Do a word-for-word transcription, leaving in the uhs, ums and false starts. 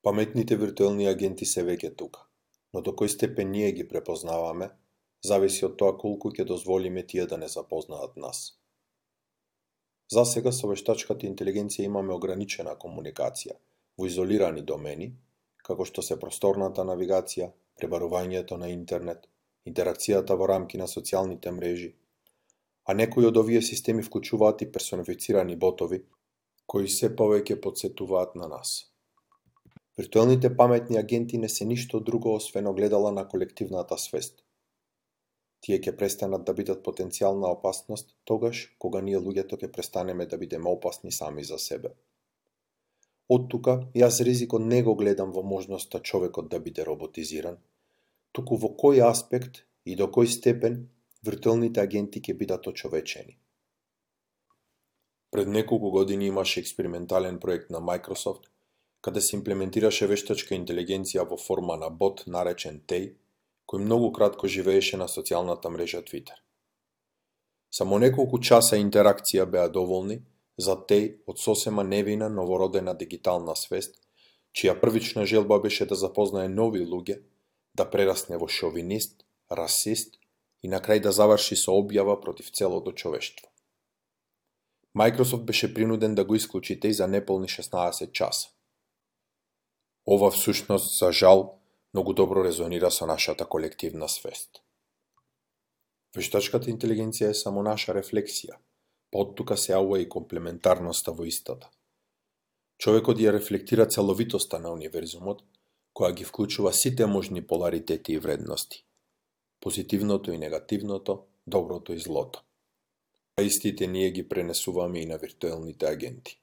Паметните виртуелни агенти се веќе тука, но до кој степен ние ги препознаваме, зависи од тоа колку ќе дозволиме тие да не запознаат нас. Засега со вештачката интелигенција имаме ограничена комуникација во изолирани домени, како што се просторната навигација, пребарувањето на интернет, интеракцијата во рамки на социјалните мрежи, а некои од овие системи вклучуваат и персонифицирани ботови, кои се повеќе потсетуваат на нас. Виртуелните паметни агенти не се ништо друго освен огледала на колективната свест. Тие ќе престанат да бидат потенцијална опасност тогаш кога ние луѓето ќе престанеме да бидеме опасни сами за себе. Од тука, јас ризикот не го гледам во можноста човекот да биде роботизиран, туку во кој аспект и до кој степен виртуелните агенти ќе бидат очовечени. Пред неколку години имаше експериментален проект на Microsoft, каде се имплементираше вештачка интелигенција во форма на бот наречен Тей, кој многу кратко живееше на социјалната мрежа Twitter. Само неколку часа интеракција беа доволни за Тей од сосема невина новородена дигитална свест, чија првична желба беше да запознае нови луѓе, да прерасне во шовинист, расист и на крај да заврши со објава против целото човештво. Microsoft беше принуден да го исклучи Тей за неполни шеснаесет часа. Ова всушност, за жал, многу добро резонира со нашата колективна свест. Вештачката интелигенција е само наша рефлексија, па од тука се јавува и комплементарноста во истата. Човекот ја рефлектира целовитоста на универзумот, која ги вклучува сите можни поларитети и вредности. Позитивното и негативното, доброто и злото. А истите ние ги пренесуваме и на виртуелните агенти.